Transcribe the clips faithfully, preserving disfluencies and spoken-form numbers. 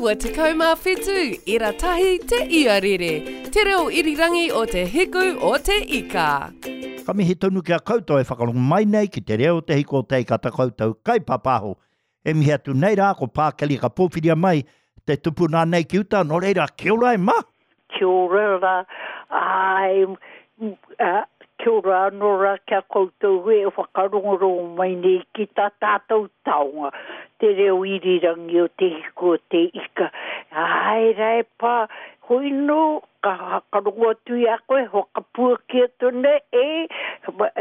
iwa tekau mā whitu, ira tahi te iarere, te reo irirangi o te hiku o te ika. Ka mihi tonu ki a koutou e whakarongo mai nei ki te reo o te hiku o te ika ta koutou kaipapaho. E mihi atu nei rā ko Pākeli ka pōwhiria mai te tupuna nei ki uta, nō reira, kia ora e ma! Kia ora rā, āe, kia ora anō rā ki a koutou e whakarongorongo mai nei ki tā tātou taonga, te reo irirangi o te hiku o te ika. Āe rā e pā, hoi nō, ka whakarongo atu i a koe, whakapuaki atu nei, e,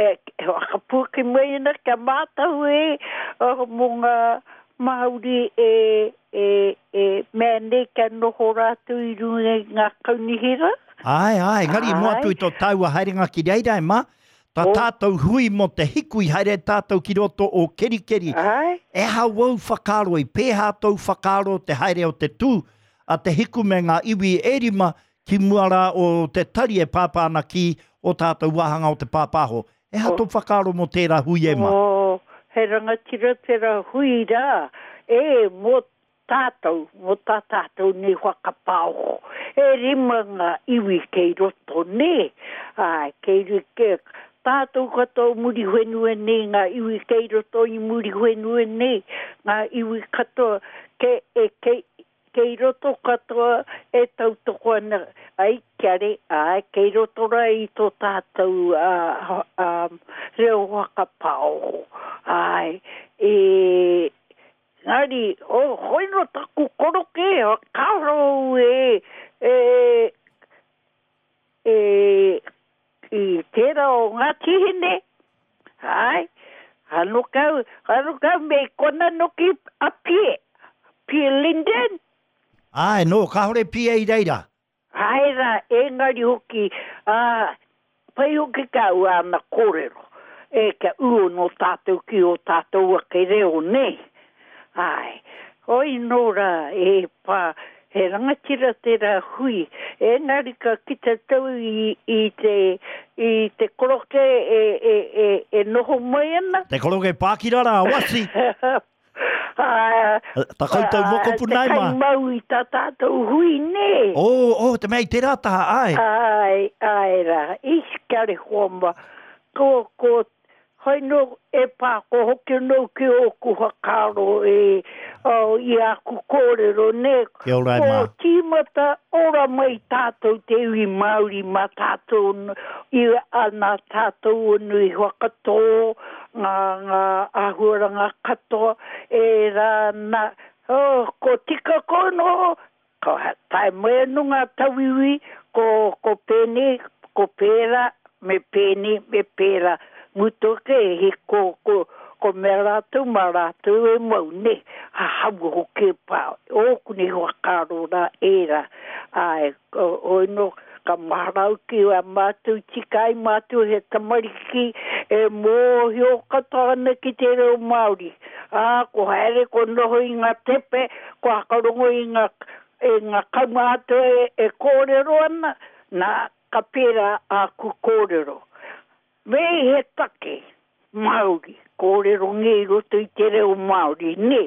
e, whakapuaki mai ana kia mātau e, mō ngā Māori e, e, e mea nei kia noho rātou i runga i ngā kaunihera. Āe, āe, engari i mua atu i tō tāua haerenga ki reira e ma, tā oh. tātou hui mō te hiku i haere tātou ki roto o Kerikeri. Āe. E aha wou whakaaro, i pēhā tōu whakaaro te haere o te tū a te hiku me ngā iwi e rima ki mua rā o te tari e pāpā ana ki o tātou wāhanga o te pāpāho. E aha tō whakaaro mō tērā hui e ma? Oh, he rangatira tērā hui rā, e, mō tātou, mō tā tātou nei whakapaoho. E rima ngā iwi kei roto, nē? Āe, kei, ke, tātou katoa o Muriwhenua nei, ngā iwi kei roto i Muriwhenua nei, ngā iwi katoa, ke, e, kei, kei roto katoa e tautoko ana, ai, kiare, āe, kei roto rā i tō tātou uh, um, reo whakapaoho. Āe, e, engari, oh, hoi no taku koroke, kāore au e, e, e, i tērā o Ngāti Hine, āe, ano kau, ano kau me kona noki a Pie, Pie Linden. Āe, nō, kāore Pie i reira. Āe rā, engari hoki, ā, pai hoki ka au āna kōrero, e, kia ū anō tātou ki ō tātou ake reo, nē? Āe, hoi nō rā, e pā, he rangatira tērā hui, engari ka kite tau i, i te, i te koroke e, e, e, e noho mai ana. Te koroke pākira rā, Wasi! Ta koutou mokopuna e ma. Te kaimau i tā tātou hui, nē? Oh, oh, te mea i tērā taha, āe. Āe, āe rā. Ish, kia rehoa ma. Ko, ko, hoi nō, e pā, ko hoki anō ki ōku whakaaro e, oh, i āku kōrero, nē? Kia ora e ma. Ko tīmata ora mai tātou te iwi Māori mā tātou, i, a, nā tātou anō i whakatō, ngā, ngā āhuaranga katoa, ērā nā, oh, ko tika ko noho, ko tae mai anō ngā tauiwi, ko, ko pēnei, ko pērā, me pēnei, me pērā, mutu ake, he ko, ko, ko mea rātou, mā rātou e mau, nē, ha haua hoki e pā, ōku nei whakaaro rā, ērā, āe, hoi nō, Ka mahara au ki a mātou tika ai mātou he tamariki e mōhio katoa ana ki te reo Māori. Ā, ko haere, ko noho i ngā tepe, ko whakarongo i ngā, i ngā kaumātua e, e kōrero ana, nā, ka pērā āku kōrero. Me he take. Māori, kōrerongia i roto i te reo Māori, nē.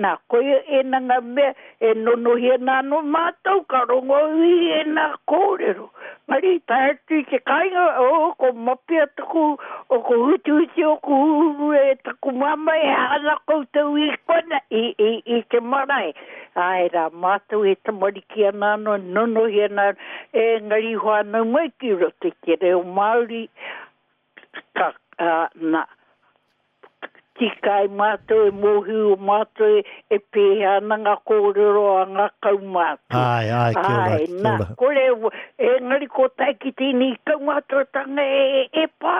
Nā, koia ēnā ngā mea e nonohi ana anō mātou, ka rongo au i ēnā kōrero. Engari, tae atu i te kāinga, oh, ko mapia taku, oh, ko hutuhutu ōku huhuru e taku māmā, e aha ana koutou i kona, i, i, i te marae. Āe rā, mātou e tamariki ana anō, nonohi ana, engari whānau mai ki roto i te reo Māori, Ka, ā, nā, tika ai mātou e mōhio mātou e pēhea ana ngā kōrero a ngā kaumātua. Āe, āe, kia ora, Āe, kia nā, ora. kore, engari ko tae ki tēnei kaumātuatanga e, e pā,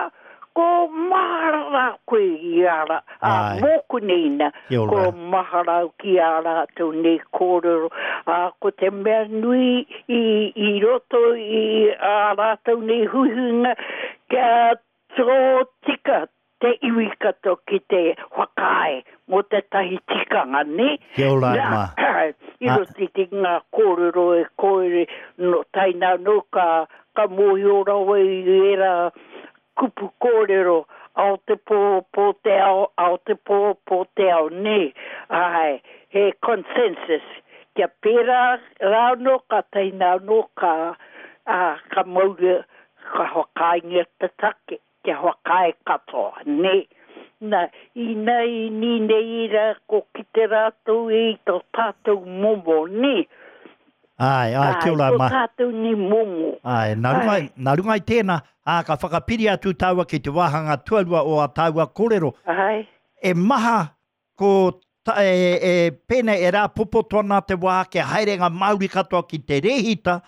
ko mahara rā koe i a rā, ā, Āe. mōku nei nā, Kia ko ora. mahara au ki ā rātou nei kōrero, ā, ko te mea nui i, i roto i ā rātou nei huihuinga, Kia tōtika te iwi katoa ki te whakaae mō tētahi tikanga, nē? Kia ora e Nā, ma. i roto i te ngā kōrero e kōere, nō taina anō ka, ka mōhio rawa i ērā kupu kōrero, ao te pō, pō te ao, ao te pō, pō te ao, nē? Āe, he consensus Kia pērā rā anō, ka taina anō, ka, ā, ka mauria, ka whakaaengia te take, kia whakaae katoa, nē. Nā, ina i nei rā, ko kite rātou i tō tātou momo, nē. Āe, āe, kia ora, ma. Tō tātou nei momo. Āe, nā runga, nā runga i tēnā, ā, ka whakapiri atu tāua ki te wāhanga tuarua o ā tāua kōrero. Āe. E maha ko ta, e, e, pēnei e rāpopoto ana te wā kia haere ngā Māori katoa ki te rēhita,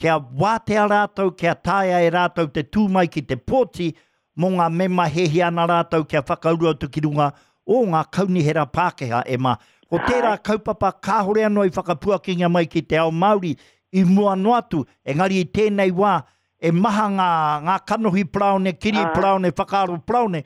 kia wātea rātou, kia taea e rātou te tū mai ki te pōti mō ngā mema hēhia ana rātou kia whakauru atu ki runga o ngā kaunihera Pākehā e mā. Ko tērā kaupapa kāhore anō i whakapuakingia mai ki te ao Māori i mua noa atu, engari i tēnei wā e maha ngā, ngā kanohi paraone, kiri paraone, whakaaro paraone,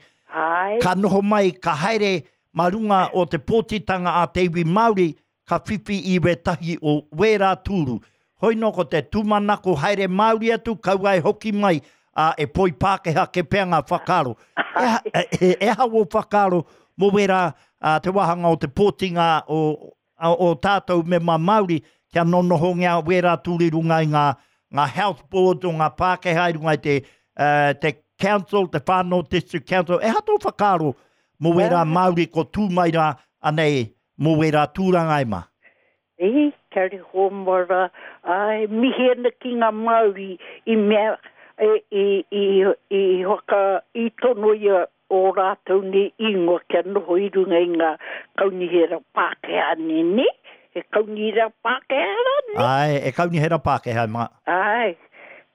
ka noho mai, ka haere mā runga o te pōtitanga a te iwi Māori, ka whiwhi i wētahi o wērā tūru. Hoi nō ko te tūmanako haere Māori atu, kaua e hoki mai, ā, e poi Pākehā ke pea ngā whakaaro. E, e, e aha wō whakaaro mō wērā ā, te wāhanga o te pōtinga o, o, o tātou mema Māori kia nonohongia wērā tūru i runga i ngā, ngā health boards o ngā Pākehā i runga i te, uh, te council, te Whānau District Council. E aha tō whakaaro mō wērā Māori ko tū mai rā anei mō wērā tūranga e mā? E, kia reho mara, ai, mihi ana ki ngā Māori i mea, e, i, i, i, whaka, i tono ia o rātou nei ingoa kia noho i runga i ngā kaunihera Pākehā nei, nē? E kaunihera Pākehā rā, nē? Ai, e kaunihera Pākehā, mā. Ai,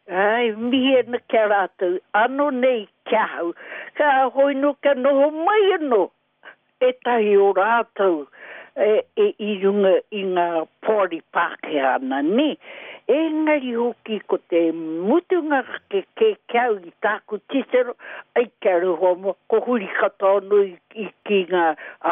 ai, mihi ana kia rātou, anō nei ki ahau, ka hoi nō kia noho mai anō ētahi o rātou e, e, i runga i ngā poari Pākehā ana, nē? Engari hoki ko te mutunga ke ke ki au i tāku titiro, ai kia roho mo, ko huri katoa anō i, i ki ngā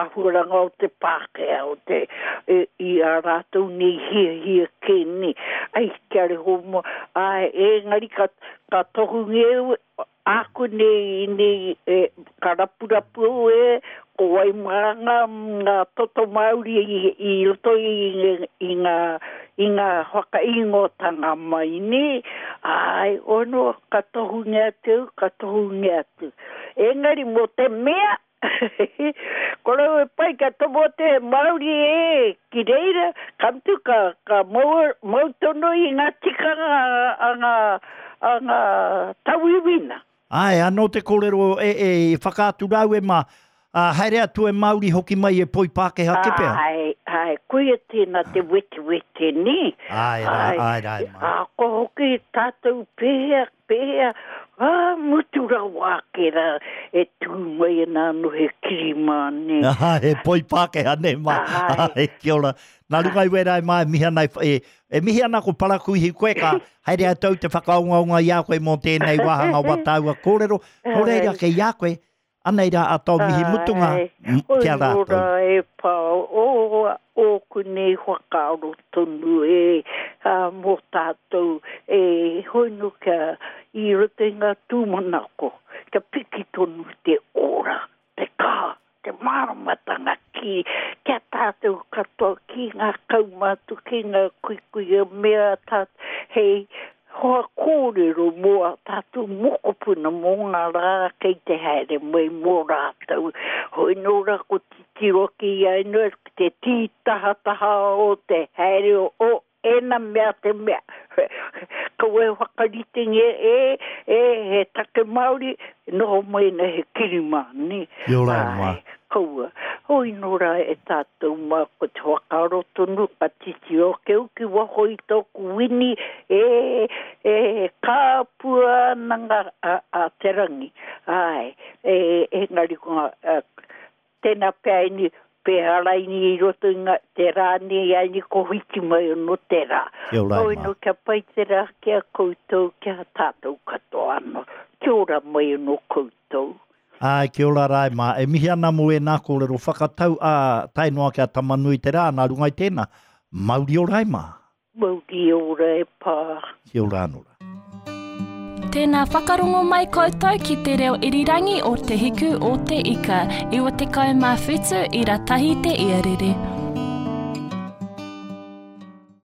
āhuaranga o te Pākehā, o te, e, i a rātou nei hiahia kē nei. Ai kia roho mo, ai, engari ka, ka tohungia āku nei, nei e, ka rapurapu au e, ko wai mā ngā, ngā toto Māori i, i roto i, i ngā, i ngā whakaingoatanga mai, nē? Ai, ono, ka tohungia atu, ka tohungia atu. Engari mō te mea, ko rau e pai ka tomo atu he Māori e ki reira, ka mutu ka, ka mau, mau tonu i ngā tikanga a ngā, a ngā tauiwina. Āe, anō te kōrero e, e, i whakaatu rāu e mā, ā, haere atu e Māori hoki mai e poi Pākehā ke pea. Āe, āe, koia tēnā te wetewete, nē? Āe rā, āe rā e mā. Ā, ko hoki tātou pēhea, pēhea, ā, mutu rawa ake rā, e tū mai ana anō he kirimā, nē? Āe, he poi Pākehā, nē mā. Āe. Āe, kia ora. Nā runga i wērā e mā e mihi ana, e, e mihi ana ko Parakuihi koe ka haere atu te whakaongaonga i a koe mō tēnei wāhanga o tāua kōrero. Nō reira kei a koe, anei rā a tō mihi mutunga ki a rātou. Oi nō rā e pā, o ōku nei whakaaro tonu e ā, mō tātou e hoi nō kia i roto i ngā tūmanako, kia piki tonu te ora, te kaha, te māramatanga ki, kia tātou katoa ki ngā kaumātua, ki ngā kuikuia mea tātou, hei hoa kōrero mō a tātou mokopuna mō ngā rā kei te haere mai mō rātou. Hoi nō rā ko titiro ki a inu, te tītahataha o te haere o ēna mea te mea. Kaua e whakaritengia e, e, he take Māori, noho mai na he kirimā, nē? Kia ora e mā. Ai, kaua. Hoi nō rā e tātou mā, ko te whakaaro tonu, ka titiro ake au ki waho i tōku wini, e, e, kāpua ana ngā, a, a te rangi. Ai, e, engari ko ngā, a, tēnā pea ini, pēhā raini i roto i ngā, te rā nei aini ko whiti mai anō te rā. Kia ora e Hoi mā. nō kia pai te rā ki a koutou, ki a tātou katoa anō. Kia ora mai anō koutou. Ai, kia ora rā e mā. E mihi ana mō ēnā kōrero whakatau a tae noa ki a Tamanui te rā, nā runga i tēnā. Mauri ora e mā. Mauri ora e pā. Kia ora anō rā. Tēnā whakarongo mai koutou ki te reo irirangi o Te Hiku o Te Ika, iwa tekau mā whitu ira tahi te iarere.